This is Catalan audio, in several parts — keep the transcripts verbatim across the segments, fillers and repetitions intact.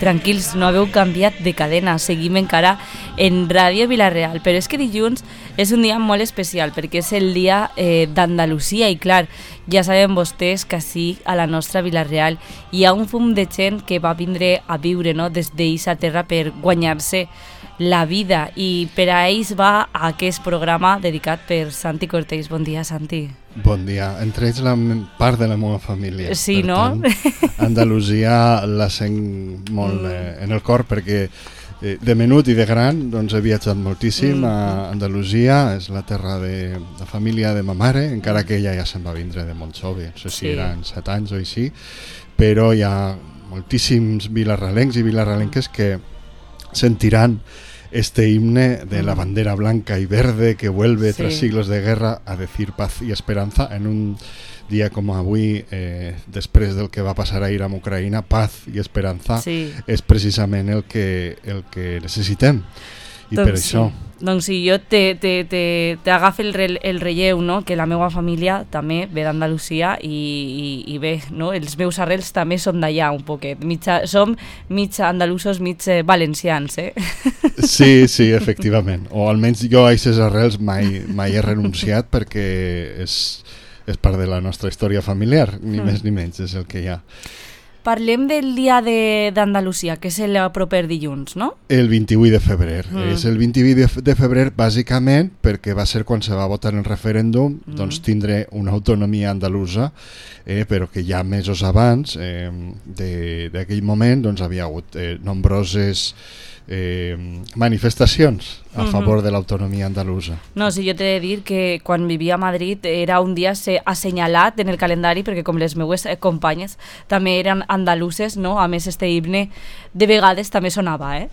tranquils, no haveu canviat de cadena, seguim encara en Ràdio Vila-real, però és que dilluns és un dia molt especial perquè és el dia eh, d'Andalusia i clar, ja saben vostès que sí, a la nostra Vila-real hi ha un fum de gent que va vindre a viure, no?, des d'eixa terra per guanyar-se la vida i per a ells va aquest programa dedicat per Santi Cortés. Bon dia, Santi. Bon dia. Entre ells la part de la meva família. Sí, per no? Tant, Andalusia la sent molt eh, en el cor perquè eh, de menut i de gran doncs, he viatjat moltíssim mm. a Andalusia, és la terra de la família de ma mare, encara que ella ja se'n va vindre de molt jove, no sé si sí. eren set anys o així, però hi ha moltíssims vilarralencs i vilarralenques que sentiran este himne de la bandera blanca y verde que vuelve sí. tras siglos de guerra a decir paz y esperanza en un dia com avui, eh, després del que va passar ahir amb Ucraïna, paz i esperança sí. és precisament el que, el que necessitem i doncs per això sí. Doncs sí, jo t'agafa el, re, el relleu, no? Que la meva família també ve d'Andalusia i, i, i bé, no? Els meus arrels també són d'allà un poquet. Mitja, som mig andalusos, mig valencians, eh? Sí, sí, efectivament. O almenys jo a aquestes arrels mai, mai he renunciat perquè és, és part de la nostra història familiar, ni mm. més ni menys, és el que hi ha. Parlem del dia d'Andalusia, que és el proper dilluns, no? El vint-i-vuit de febrer. Mm. És el vint-i-vuit de febrer bàsicament perquè va ser quan se va votar el referèndum mm. doncs tindre una autonomia andalusa, eh, però que ja mesos abans eh, d'aquell moment doncs havia hagut eh, nombroses Eh, manifestacions a uh-huh. favor de l'autonomia andalusa. No, sí, jo t'he de dir que quan vivia a Madrid era un dia assenyalat en el calendari perquè com les meues companyes també eren andaluses, no? A més este himne de vegades també sonava, eh?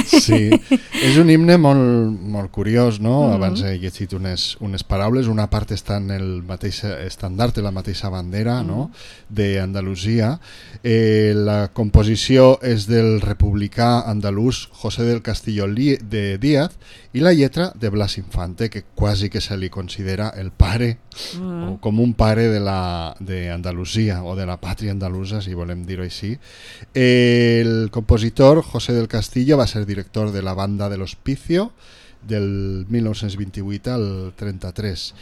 Sí, és un himne molt, molt curiós, no? Uh-huh. Abans he llegit unes, unes paraules, una part està en el mateix estandard, la mateixa bandera, uh-huh. no? d'Andalusia. Eh, la composició és del republicà andalús José del Castillo de Díaz i la lletra de Blas Infante, que quasi que se li considera el pare mm. o com un pare de la de Andalusia o de la pàtria andalusa, si volem dir-ho així. El compositor José del Castillo va ser director de la banda del Hospicio del mil nou-cents vint-i-vuit al trenta-tres.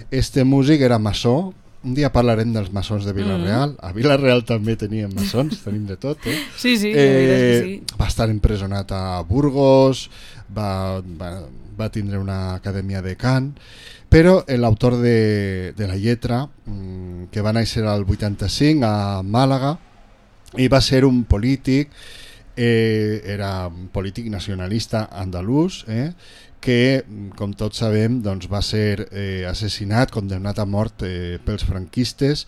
Este músic era maçó. Un dia parlarem dels maçons de Vila-real. Mm. A Vila-real també teníem maçons, tenim de tot. Eh? Sí, sí, eh, sí. Va estar empresonat a Burgos, va, va, va tindre una acadèmia de cant, però l'autor de, de la lletra, que va néixer al vuitanta-cinc a Màlaga, i va ser un polític, eh, era un polític nacionalista andalús, eh, que, com tots sabem, doncs, va ser eh, assassinat, condemnat a mort eh, pels franquistes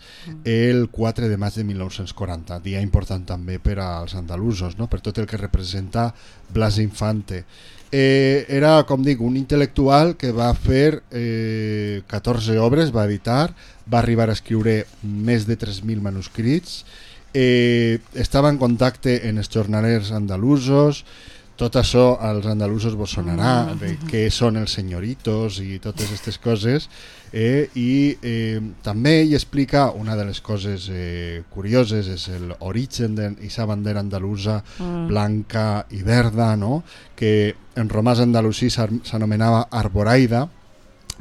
el quatre de maig de mil nou-cents quaranta, dia important també per als andalusos, no? Per tot el que representa Blas Infante. Eh, era, com dic, un intel·lectual que va fer eh, catorze obres, va editar, va arribar a escriure més de tres mil manuscrits, eh, estava en contacte en els jornalers andalusos. Tot això als andalusos vos sonarà, de què són els senyoritos i totes aquestes coses, eh, i eh, també hi explica una de les coses eh, curioses, és l'origen d'aquesta bandera andalusa mm. blanca i verda, no? Que en romàs andalusí s'anomenava Arboraida,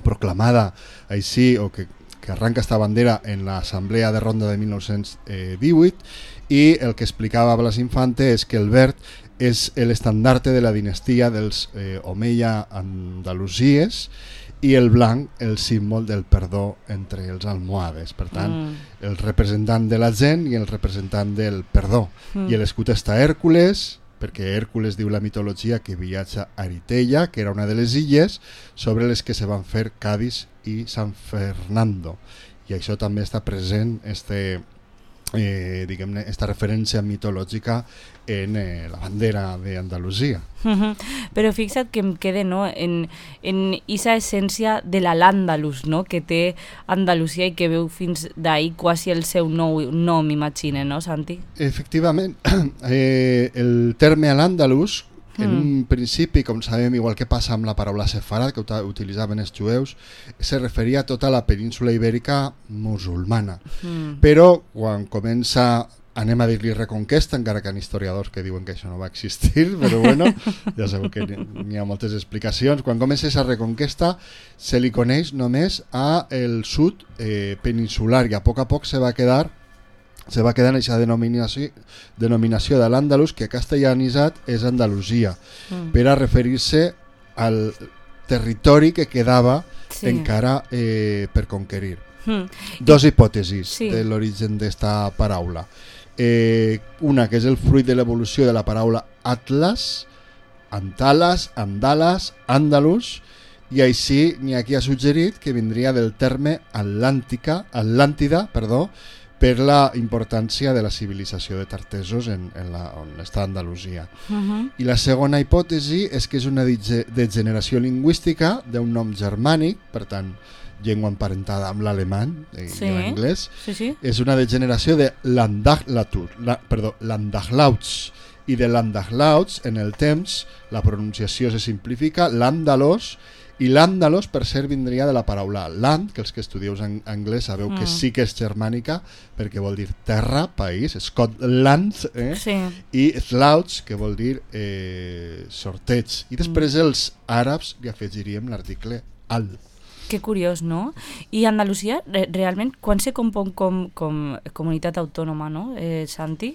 proclamada així, o que, que arranca esta bandera en l'Assemblea de Ronda de mil nou-cents divuit, i el que explicava Blas Infante és que el verd és l'estandarte de la dinastia dels eh, Omeia Andalusies i el blanc el símbol del perdó entre els almohades. Per tant, mm. el representant de la gent i el representant del perdó. Mm. I l'escut està Hèrcules, perquè Hèrcules diu la mitologia que viatja a Eritella, que era una de les illes sobre les que se van fer Cádiz i San Fernando. I això també està present, este... Eh, diguem-ne, esta referència mitològica en eh, la bandera d'Andalusia. Uh-huh. Però fixa't que em quede, no, en, en esa essència de la l'Andalus, no, que té Andalusia i que veu fins d'ahir quasi el seu nou nom, m'imagine, no, Santi? Efectivament, eh, el terme a l'Andalus, en mm. un principi, com sabem, igual que passa amb la paraula sefarat, que utilitzaven els jueus, se referia a tota la península ibèrica musulmana. Mm. Però quan comença anem a dir-li reconquesta, encara que hi ha historiadors que diuen que això no va existir, però bueno, ja sabeu que n'hi ha moltes explicacions. Quan comença aquesta reconquesta se li coneix només a el sud eh, peninsular i a poc a poc se va quedar se va quedar en aquesta denominació, denominació de l'Àndalus, que castellanitzat és Andalusia, mm. per a referir-se al territori que quedava sí. encara eh, per conquerir. Mm. Dos hipòtesis sí. de l'origen d'esta paraula. Eh, una que és el fruit de l'evolució de la paraula Atlas, Antalas, Andalas, Andalus, i així n'hi ha qui ha suggerit que vindria del terme Atlàntica, Atlàntida, perdó, per la importància de la civilització de tartesos en, en la, on està Andalusia. Uh-huh. I la segona hipòtesi és que és una degeneració lingüística d'un nom germànic, per tant, llengua emparentada amb l'alemany i sí. l'anglès, sí, sí. és una degeneració de l'Andaglatur, la, perdó, l'Andaglauts, i de l'Andaglauts en el temps la pronunciació se simplifica l'Àndalos, i l'Àndalos per cert vindria de la paraula land, que els que estudieu en anglès sabeu mm. que sí que és germànica perquè vol dir terra, país, Scotland, eh? sí. i Slauts, que vol dir eh, sorteig, i després mm. els àrabs li afegiríem l'article al. Que curiós, no? I Andalusia, re realment, quan se compon com, com comunitat autònoma, no, eh, Santi?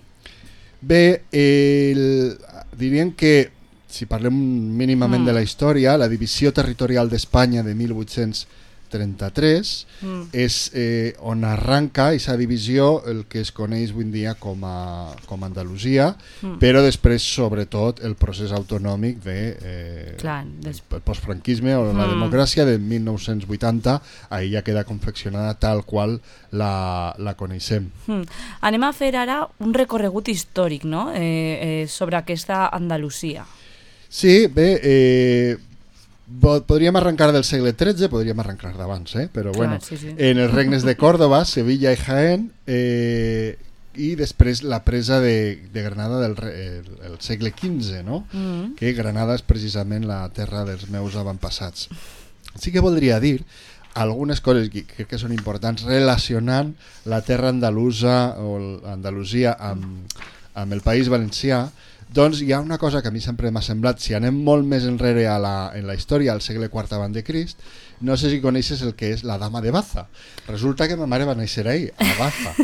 Bé, eh, diríem que, si parlem mínimament mm. de la història, la divisió territorial d'Espanya de mil vuit-cents trenta-tres mm. és eh, on arranca aquesta divisió el que es coneix avui en dia com a, com a Andalusia, mm. però després sobretot el procés autonòmic de eh, Clar, des... el postfranquisme o mm. la democràcia de mil nou-cents vuitanta, ahí ja queda confeccionada tal qual la, la coneixem. Mm. Anem a fer ara un recorregut històric, no? eh, eh, sobre aquesta Andalusia. Sí, bé, eh, podríem arrencar del segle tretze, podríem arrencar d'abans, eh? però Clar, bueno, sí, sí. en els regnes de Còrdova, Sevilla i Jaén, eh, i després la presa de, de Granada del el, el segle quinze, no? Mm. que Granada és precisament la terra dels meus avantpassats. Sí que voldria dir algunes coses que crec que són importants relacionant la terra andalusa o Andalusia amb, amb el País Valencià. Doncs hi ha una cosa que a mi sempre m'ha semblat, si anem molt més enrere a la, en la història, al segle quart abans de Crist, no sé si coneixes el que és la Dama de Baza. Resulta que ma mare va néixer ahí, a Baza.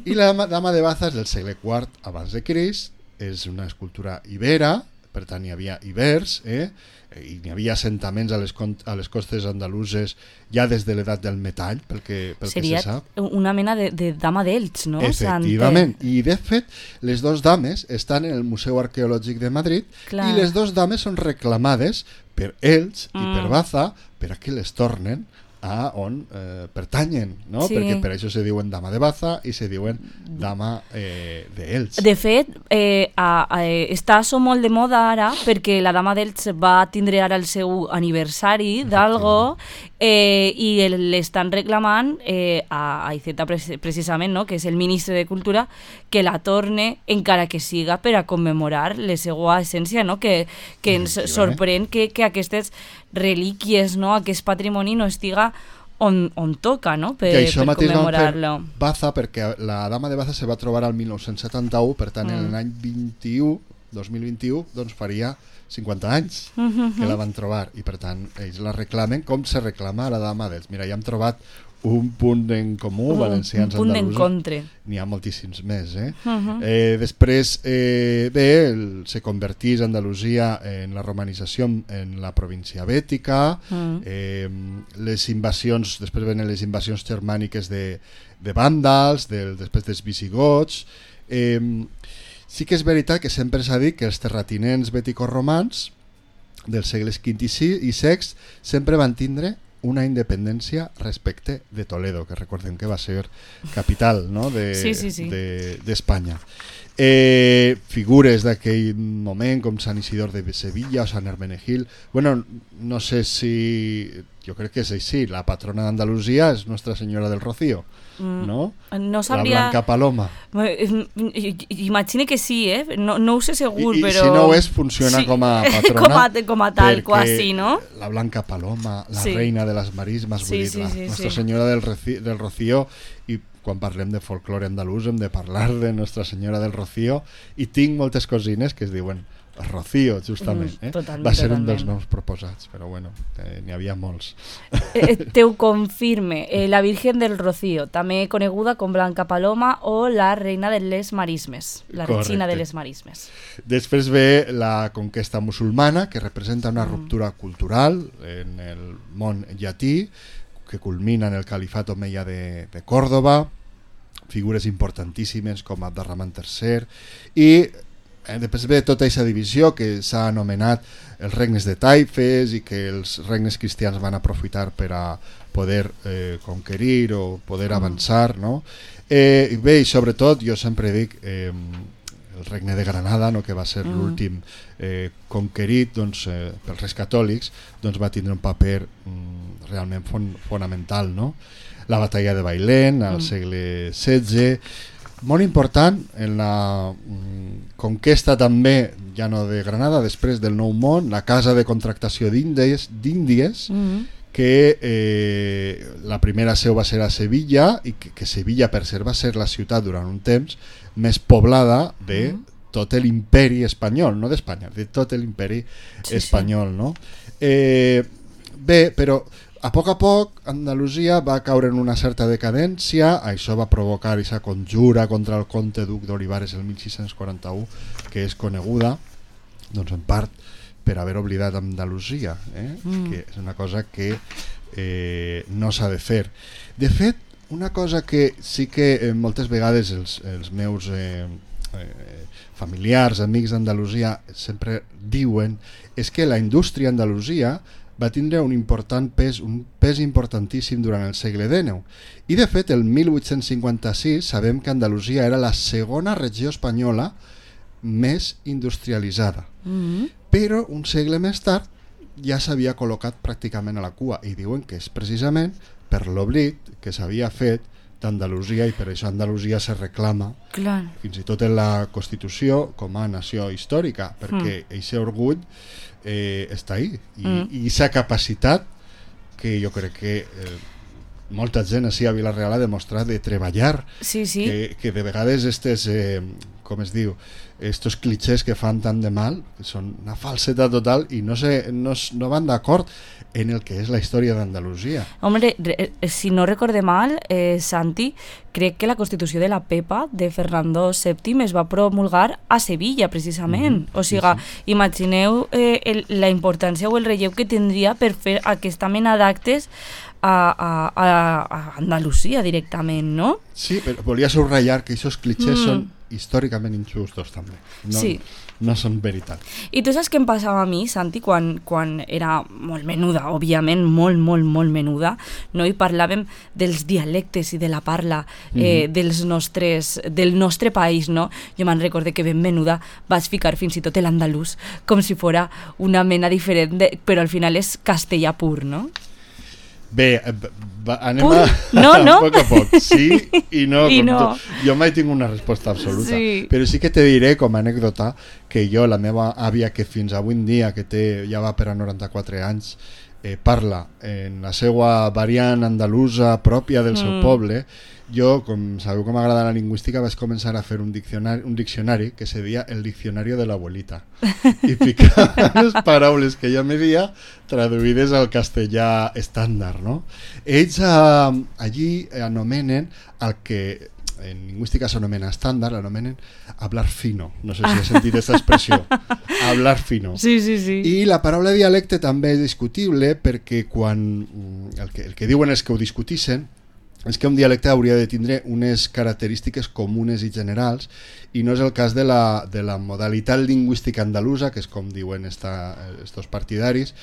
I la Dama de Baza és del segle quart abans de Crist, és una escultura ibera, per tant hi havia ibers, eh? i hi havia assentaments a les, a les costes andaluses ja des de l'edat del metall, pel que, pel Seria que se sap. Una mena de, de dama d'Elx, no? Efectivament, i de fet les dos dames estan en el Museu Arqueològic de Madrid. Clar. I les dos dames són reclamades per Elx mm. i per Baza per a que les tornen a on eh, pertanyen, no? Sí. Perquè per això se diuen dama de Baza i se diuen dama eh, d'Elx. De fet, eh, a, a, està això molt de moda ara perquè la dama d'Elx va tindre ara el seu aniversari d'algo eh, i l'estan reclamant eh, a, a Iceta precisament, no? que és el ministre de Cultura, que la torne encara que siga per a commemorar la seva essència, no? que, que ens sorprèn que, que aquestes relíquies, no? aquest patrimoni no estiga on, on toca, no? per, per commemorar-lo. Baza, perquè la Dama de Baza se va trobar al mil nou-cents setanta-u, per tant mm. en l'any vint-i-u, dos mil vint-i-u, doncs faria cinquanta anys mm-hmm. que la van trobar, i per tant ells la reclamen com se reclama la Dama d'Elx. Mira, ja hem trobat un punt en comú, uh, valencians un punt andalusos, n'hi ha moltíssims més. Eh? Uh-huh. eh, després, eh, bé, el, se convertís Andalusia en la romanització en la província bètica, uh-huh. eh, les invasions, després venen les invasions germàniques de, de vàndals, del, després dels visigots. Eh, sí que és veritat que sempre s'ha dit que els terratinents bètico-romans dels segles quint i sext sempre van tindre una independència respecte de Toledo, que recordem que va ser capital, no? de, sí, sí, sí. de, d'Espanya. Eh, figures d'aquell moment com Sant Isidor de Sevilla o Sant Hermenegil, bueno, no sé si, jo crec que és així, la patrona d'Andalusia és Nostra Senyora del Rocío, no? No sabria... La Blanca Paloma. Imagine que sí, eh? No, no ho sé segur, I, i però... si no ho és, funciona sí. com a patrona. com, a, com a tal, quasi, no? La Blanca Paloma, la sí. reina de les marismes, sí, vull dir, sí, la sí, Nostra sí. Senyora del, Reci, del Rocío, i quan parlem de folklore andalús hem de parlar de Nostra Senyora del Rocío, i tinc moltes cosines que es diuen Rocío, justament. Eh? Totalment, Va ser totalment. un dels noms proposats, però bueno, eh, n'hi havia molts. Eh, te ho confirme, eh, la Virgen del Rocío, també coneguda com Blanca Paloma o la Reina de les Marismes, la Correcte. Regina de les Marismes. Després ve la conquesta musulmana, que representa una ruptura cultural en el món llatí, que culmina en el califat omeia de, de Còrdova, figures importantíssimes com Abderramán tercer, i eh, després ve tota aquesta divisió que s'ha anomenat els regnes de taifes i que els regnes cristians van aprofitar per a poder eh, conquerir o poder avançar, no? Eh, bé, i sobretot, jo sempre dic, eh, el regne de Granada, no, que va ser mm. l'últim eh, conquerit doncs, eh, pels reis catòlics, doncs va tindre un paper mm, realment fon fonamental, no? La batalla de Bailén al mm. segle setze, molt important en la mm, conquesta també, ja no de Granada, després del Nou Món, la casa de contractació d'Índies, d'Índies mm. que eh, la primera seu va ser a Sevilla i que, que Sevilla per ser va ser la ciutat durant un temps més poblada de mm. tot l'imperi espanyol, no d'Espanya, de tot l'imperi sí, espanyol, sí. No? Eh, bé, però a poc a poc Andalusia va caure en una certa decadència, això va provocar aquesta conjura contra el comte duc d'Olivares el mil sis-cents quaranta-u, que és coneguda, doncs en part per haver oblidat Andalusia, eh? mm. que és una cosa que eh, no s'ha de fer. De fet, una cosa que sí que eh, moltes vegades els, els meus eh, eh, familiars, amics d'Andalusia sempre diuen és que la indústria andalusia va tindre un important pes, un pes importantíssim durant el segle dinou. I de fet, el mil vuit-cents cinquanta-sis sabem que Andalusia era la segona regió espanyola més industrialitzada. Mm-hmm. Però un segle més tard ja s'havia col·locat pràcticament a la cua i diuen que és precisament per l'oblit que s'havia fet d'Andalusia i per això Andalusia se reclama Clar. fins i tot en la Constitució com a nació històrica perquè aquest mm. orgull eh, està ahí i aquesta mm. capacitat que jo crec que eh, molta gent així a Vila-real ha demostrat de treballar sí, sí. Que, que de vegades estes eh, com es diu, estos clichés que fan tant de mal, que són una falsetat total i no, se, no, no van d'acord en el que és la història d'Andalusia. Hombre, si no recorde mal, eh, Santi, crec que la Constitució de la Pepa de Fernando sèptim es va promulgar a Sevilla, precisament. Mm-hmm. O sigui, sí, sí. Imagineu eh, el, la importància o el relleu que tindria per fer aquesta mena d'actes a, a, a, a Andalusia directament, no? Sí, però volia subratllar que aquests clichés mm. són històricament injustos també. No, sí. no són veritat. I tu saps què em passava a mi, Santi, quan, quan era molt menuda, òbviament molt, molt, molt menuda, no? I parlàvem dels dialectes i de la parla eh, mm-hmm. dels nostres, del nostre país, no? Jo me'n recorde que ben menuda vaig ficar fins i tot l'andalús com si fora una mena diferent, de, però al final és castellà pur, no? Bé, va, anem Pur? a, no, no? a poc a poc, sí i no. I no. Tu, jo mai tinc una resposta absoluta, sí. Però sí que te diré com a anècdota que jo, la meva àvia, que fins avui en dia, que té, ja va per a noranta-quatre anys, eh, parla en la seva variant andalusa pròpia del seu mm. poble, jo, com sabeu que m'agrada la lingüística, vaig començar a fer un diccionari, un diccionari que se deia el diccionari de l'abuelita i ficava les paraules que ella me dia traduïdes al castellà estàndard, no? Ells eh, allí anomenen el que en lingüística s'anomena estàndard, l'anomenen hablar fino, no sé si has sentit aquesta expressió, hablar fino. Sí, sí, sí. I la paraula dialecte també és discutible perquè quan el que, el que diuen és que ho discutixen és que un dialecte hauria de tindre unes característiques comunes i generals i no és el cas de la, de la modalitat lingüística andalusa, que és com diuen estos partidaris,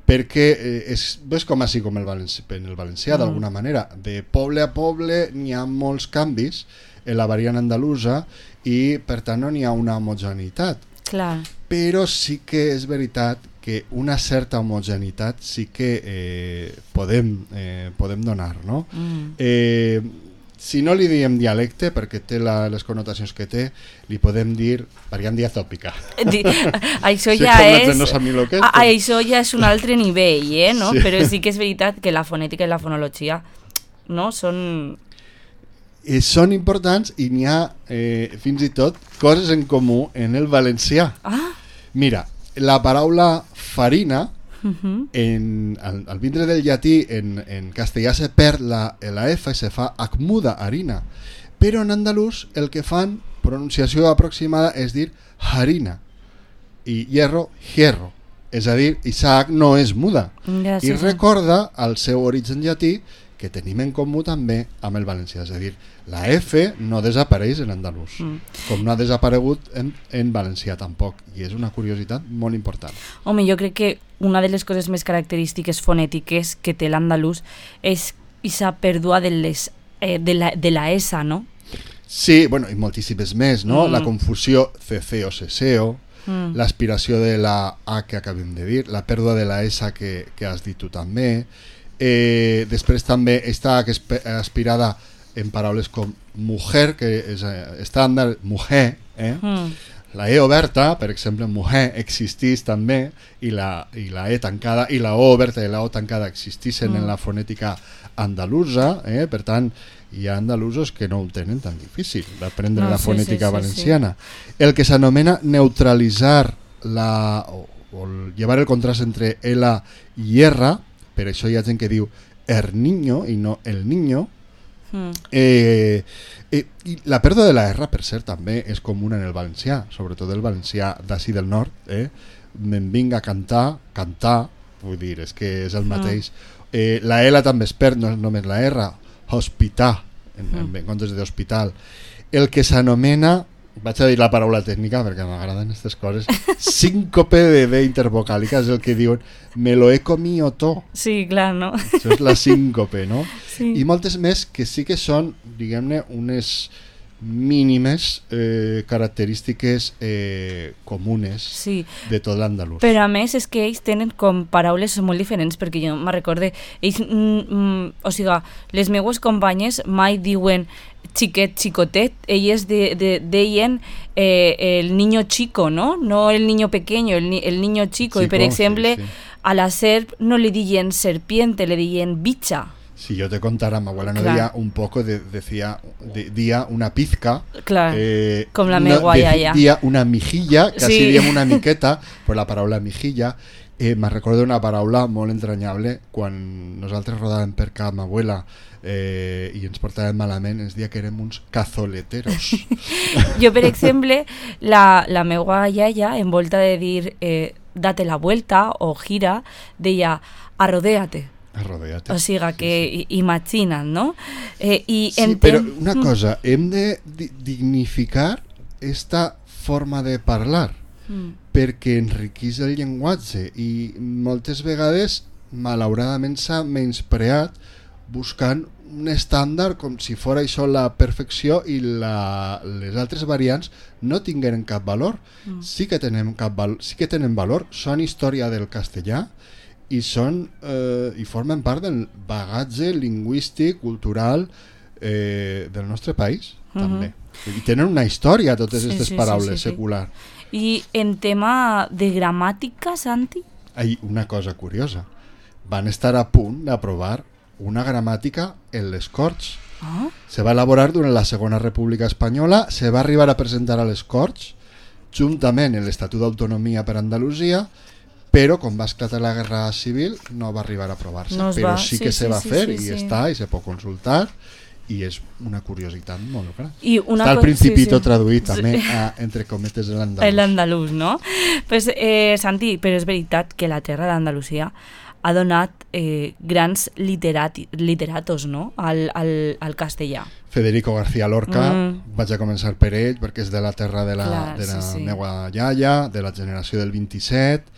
perquè eh, és, és com així com el valencià, en el valencià mm. d'alguna manera, de poble a poble n'hi ha molts canvis en la variant andalusa i per tant no n'hi ha una homogeneïtat. Clar. Però sí que és veritat que una certa homogeneïtat sí que eh, podem, eh, podem donar, no? Mm. Eh, si no li diem dialecte, perquè té la, les connotacions que té, li podem dir variant diatòpica. Di, això ja és... No lo que és, a, això ja és un altre nivell, eh? No? Sí. Però sí que és veritat que la fonètica i la fonologia no? són... eh, són importants i n'hi ha eh, fins i tot coses en comú en el valencià. Ah. Mira, la paraula farina, Uh-huh. en, al, al vindre del llatí, en, en castellà se perd la, la F i se fa acmuda, harina. Però en andalús el que fan, pronunciació aproximada, és dir harina. I hierro, hierro. És a dir, Isaac no és muda. Ja, sí, I recorda el seu origen llatí, que tenim en comú també amb el valencià. És a dir, la F no desapareix en andalús, mm. com no ha desaparegut en, en valencià tampoc. I és una curiositat molt important. Home, jo crec que una de les coses més característiques fonètiques que té l'andalús és aquesta pèrdua de, les, eh, de, la, de la S, no? Sí, bueno, i moltíssimes més, no? Mm. La confusió ceceo, ceseo, mm. l'aspiració de la A que acabem de dir, la pèrdua de la S que, que has dit tu també. Eh, després també està aspirada en paraules com mujer, que és estàndard, mujer, eh? Mm. La E oberta, per exemple, mujer, existís també, i la, i la E tancada, i la O oberta i la O tancada existissin mm. en la fonètica andalusa, eh? Per tant, hi ha andalusos que no ho tenen tan difícil d'aprendre no, la sí, fonètica sí, valenciana. Sí, sí. El que s'anomena neutralitzar la, o, o llevar el contrast entre L i R, per això hi ha gent que diu el niño i no el niño. Mm. Eh, eh, i la pèrdua de la R, per cert, també és comuna en el valencià, sobretot el valencià d'ací del nord. Eh? Me'n vinc a cantar, cantar, vull dir, és que és el mateix. Mm. Eh, la L també es perd, no és només la R, hospitar, en, mm. en comptes d'hospital. El que s'anomena, vaig a dir la paraula tècnica perquè m'agraden aquestes coses, síncope de D intervocàlica, és el que diuen me lo he comido todo. Sí, clar, no? Això és la síncope, no? Sí. I moltes més que sí que són, diguem-ne, unes mínimes eh, característiques eh, comunes sí. de tot l'andalús. Però a més és que ells tenen com paraules molt diferents, perquè jo me recorde, ells, mm, mm, o sigui, les meues companyes mai diuen xiquet, xicotet, elles de, de, deien eh, el niño chico, no? No el niño pequeño, el, el niño chico. chico. I per exemple, sí, sí. a la serp no le diuen serpiente, le diuen bicha. Si yo te contara, mi abuela no decía un poco, de, decía de, día una pizca. Claro, eh, com la meva no, iaia. Decía una mijilla, casi sí. diríem una miqueta, per la paraula mijilla. Eh, me recordo una paraula molt entranyable quan nosaltres rodàvem per casa amb abuela eh, i ens portàvem malament, ens deia que érem uns cazoleteros. Jo, per exemple, la, la meva iaia, en volta de dir eh, date la vuelta o gira, deia arrodéate. Arrodéate. O sigui que sí, sí. imagina't, no? Eh, i sí, enten... però una cosa, hem de dignificar esta forma de parlar mm. perquè enriquís el llenguatge i moltes vegades malauradament s'ha menyspreat buscant un estàndard com si fos això la perfecció i la, les altres variants no tingueren cap valor. Mm. Sí que tenen cap val, sí que tenen valor, són història del castellà i són eh, i formen part del bagatge lingüístic, cultural eh, del nostre país, mm-hmm. també. I tenen una història totes aquestes sí, sí, paraules sí, sí, secular. I en tema de gramàtica, Santi? Hay una cosa curiosa. Van estar a punt d'aprovar una gramàtica en les Corts. Ah? Se va elaborar durant la Segona República Espanyola, se va arribar a presentar a les Corts, juntament en l'Estatut d'Autonomia per Andalusia, però quan va esclatar la Guerra Civil no va arribar a aprovar-se. No però va. sí que sí, se sí, va sí, fer sí, sí, i sí. està i se pot consultar i és una curiositat molt gran. I una està al Principito sí, sí. traduït també sí. a, entre cometes de l'andalús. L'andalús, no? Pues, eh, Santi, però és veritat que la terra d'Andalusia ha donat eh, grans literati, literatos, no? al, al, al castellà. Federico García Lorca, mm. vaig a començar per ell perquè és de la terra de la, Clar, de la sí, sí. meva iaia, de la generació del vint-i-set,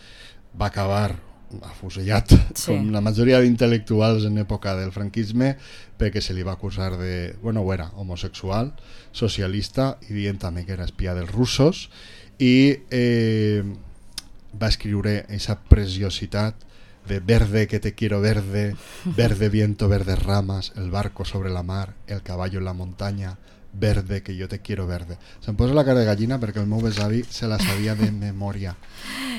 va acabar afusellat sí. com la majoria d'intel·lectuals en època del franquisme perquè se li va acusar de, bueno, ho era homosexual, socialista i dient també que era espia dels russos i eh, va escriure aquesta preciositat de verde que te quiero verde, verde viento, verdes ramas, el barco sobre la mar, el caballo en la montaña, verde que yo te quiero verde. Se'm posa la cara de gallina perquè el meu besavi se la sabia de memòria.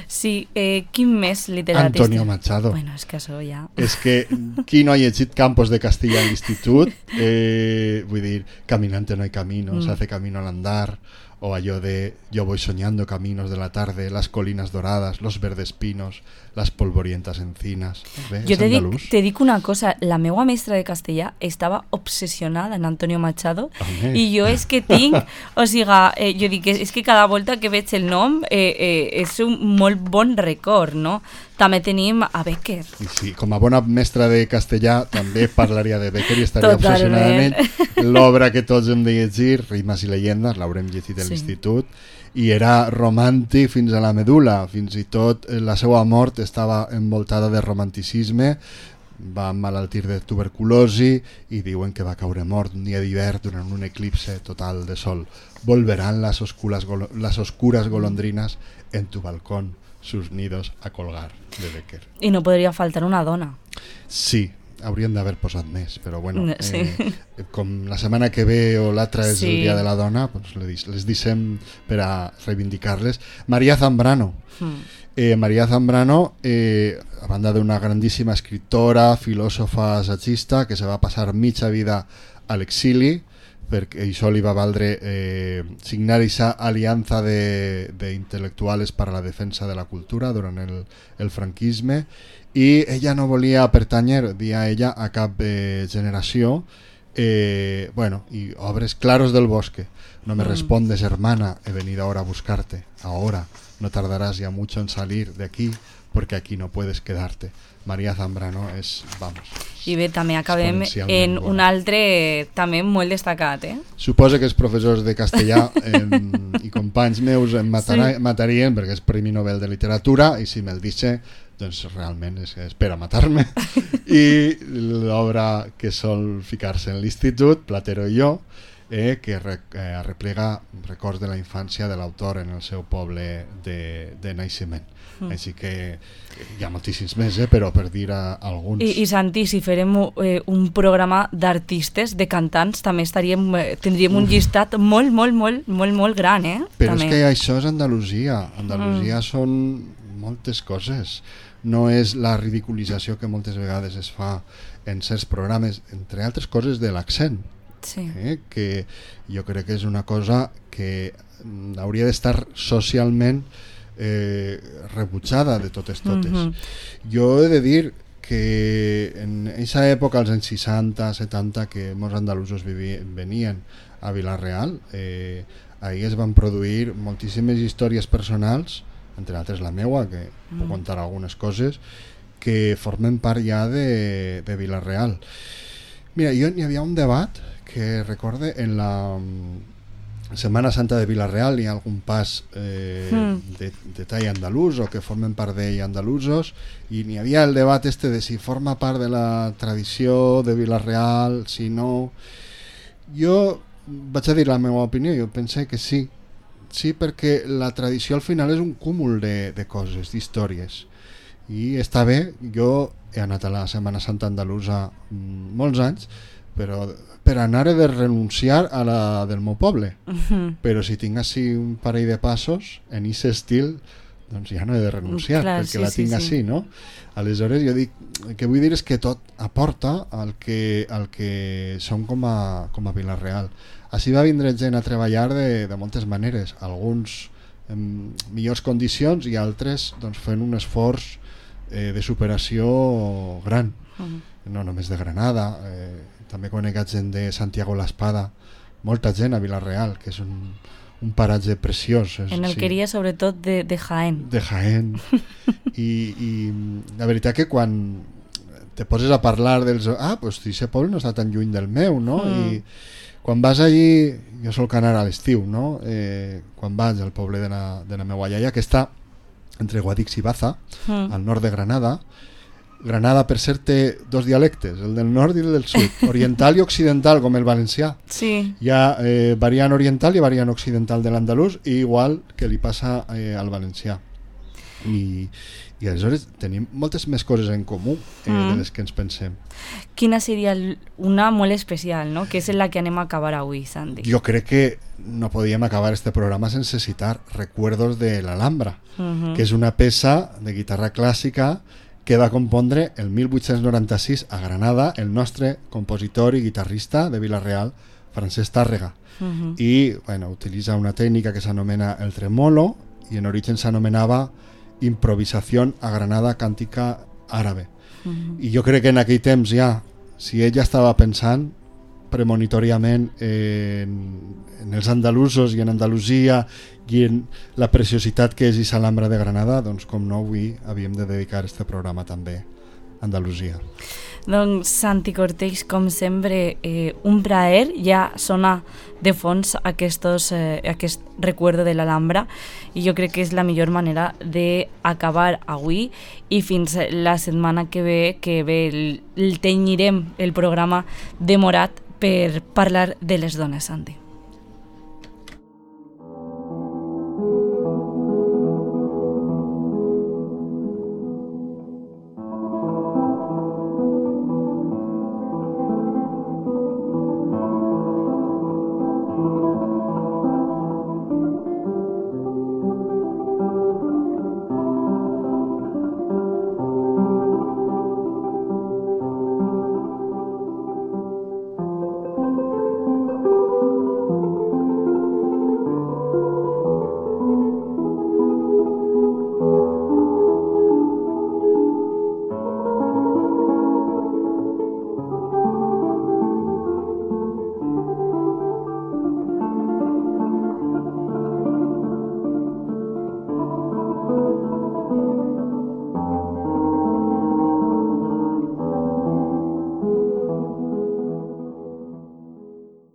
Sí, eh, quin més literatista? Antonio Machado. Bueno, és que això ja... És que qui no ha llegit Campos de Castilla a l'institut, eh, vull dir, Caminante no hay camino, mm. se hace camino al andar, o allò de Yo voy soñando caminos de la tarde, las colinas doradas, los verdes pinos, las polvorientas encinas. Bé, jo te dic, te dic una cosa, la meua mestra de castellà estava obsessionada en Antonio Machado. Home. I jo és que tinc, o sigui, eh, jo dic, és que cada volta que veig el nom eh, eh, és un molt bon record, no? També tenim a Becker. I sí, com a bona mestra de castellà també parlaria de Becker i estaria Totalment. obsessionada en ell. L'obra que tots hem de llegir, Rimes i llegendes, l'haurem llegit a sí. l'institut, i era romàntic fins a la medul·la, fins i tot la seva mort estava envoltada de romanticisme, va emmalaltir de tuberculosi i diuen que va caure mort un dia d'hivern durant un eclipse total de sol. Volverán las oscuras, golo- las oscuras golondrinas en tu balcón sus nidos a colgar, de Becker. I no podria faltar una dona. Sí, haurien d'haver posat més, però bueno, sí. eh, com la setmana que ve o l'altra és sí. el dia de la dona, doncs les, les deixem per a reivindicar-les. María Zambrano. Mm. Eh, María Zambrano, eh, a banda d'una grandíssima escritora, filòsofa, assagista, que se va passar mitja vida a l'exili, perquè això li va valdre eh, signar aquesta aliança d'intel·lectuals per a la defensa de la cultura durant el, el franquisme, i ella no volia pertanyer, dia ella, a cap eh, generació. Eh, bueno, y obres Claros del bosque. No me mm. respondes, hermana, he venido ahora a buscarte. Ahora, no tardarás ya mucho en salir de aquí, porque aquí no puedes quedarte. María Zambrano és, vamos... I bé, també acabem en un altre també molt destacat, eh? Suposo que els professors de castellà eh, i companys meus em matara, sí. matarien perquè és Premi Nobel de Literatura, i si me'l dice, doncs realment és, és per a matar-me. I l'obra que sol ficar-se en l'institut, Platero i jo, eh, que re, eh, arreplega records de la infància de l'autor en el seu poble de, de naixement. Mm. Així que hi ha moltíssims més, eh, però per dir a, alguns. I, i Santi, si farem eh, un programa d'artistes, de cantants, també estaríem, eh, tindríem un llistat molt, molt, molt, molt, molt gran, eh? Però també. És que això és Andalusia. Andalusia mm. són moltes coses. No és la ridiculització que moltes vegades es fa en certs programes, entre altres coses de l'accent. Sí. Eh, que jo crec que és una cosa que hauria d'estar socialment eh, rebutjada de totes totes. Mm-hmm. Jo he de dir que en aquesta època, als anys seixanta, setanta, que molts andalusos vivien, venien a Vila-real, eh, ahir es van produir moltíssimes històries personals, entre altres la meua, que mm. puc contar algunes coses, que formen part ja de, de Vila-real. Mira, jo hi havia un debat que recorde en la Setmana Santa de Vila-real, hi ha algun pas eh, mm. de, de tall andalús o que formen part d'ell andalusos, i n'hi havia el debat este de si forma part de la tradició de Vila-real, si no. Jo vaig a dir la meva opinió, jo pensé que sí, sí, perquè la tradició al final és un cúmul de, de coses, d'històries, i està bé. Jo he anat a la Setmana Santa andalusa mm, molts anys, però per anar he de renunciar a la del meu poble. Uh-huh. Però si tinc així un parell de passos en aquest estil, doncs ja no he de renunciar. Clar, perquè sí, la tinc sí, així, sí. No? Aleshores jo dic, el que vull dir és que tot aporta al que, al que som com a, com a Vila-real. Així va vindre gent a treballar de, de moltes maneres, alguns en millors condicions i altres doncs, fent un esforç eh, de superació gran. Uh-huh. No només de Granada, eh, també conec gent de Santiago l'Espada, molta gent a Vila-real, que és un, un paratge preciós. És, en Alqueria, sí. Sobretot de, de Jaén. De Jaén. I, I la veritat que quan te poses a parlar dels... Ah, doncs aquest poble no està tan lluny del meu, no? Mm. I quan vas allí, jo solc anar a l'estiu, no? Eh, quan vaig al poble de la, de la meva iaia, que està entre Guadix i Baza, mm. al nord de Granada. Granada, per cert, té dos dialectes, el del nord i el del sud, oriental i occidental, com el valencià. Sí. Hi ha eh, variant oriental i variant occidental de l'andalús, i igual que li passa eh, al valencià. I, i aleshores tenim moltes més coses en comú eh, mm. de les que ens pensem. Quina seria una molt especial, no? Que és la que anem a acabar avui, Santi. Jo crec que no podíem acabar este programa sense citar Recuerdos de l'Alhambra, uh-huh. que és una peça de guitarra clàssica que va compondre el mil vuit-cents noranta-sis a Granada el nostre compositor i guitarrista de Vila-real, Francesc Tàrrega. Uh-huh. I bueno, utilitza una tècnica que s'anomena el tremolo i en origen s'anomenava improvisació a Granada càntica àrabe. Uh-huh. I jo crec que en aquell temps ja, si ella estava pensant premonitoriament en, en els andalusos i en Andalusia i en la preciositat que és l'Alhambra de Granada, doncs com no avui havíem de dedicar este programa també a Andalusia. Doncs Santi Cortells, com sempre, eh, un plaer. Ja sona de fons aquestos, eh, aquest recuerdo de l'Alhambra i jo crec que és la millor manera d'acabar avui i fins la setmana que ve, que ve el, el tenyirem el programa demorat per parlar de les dones, Santi.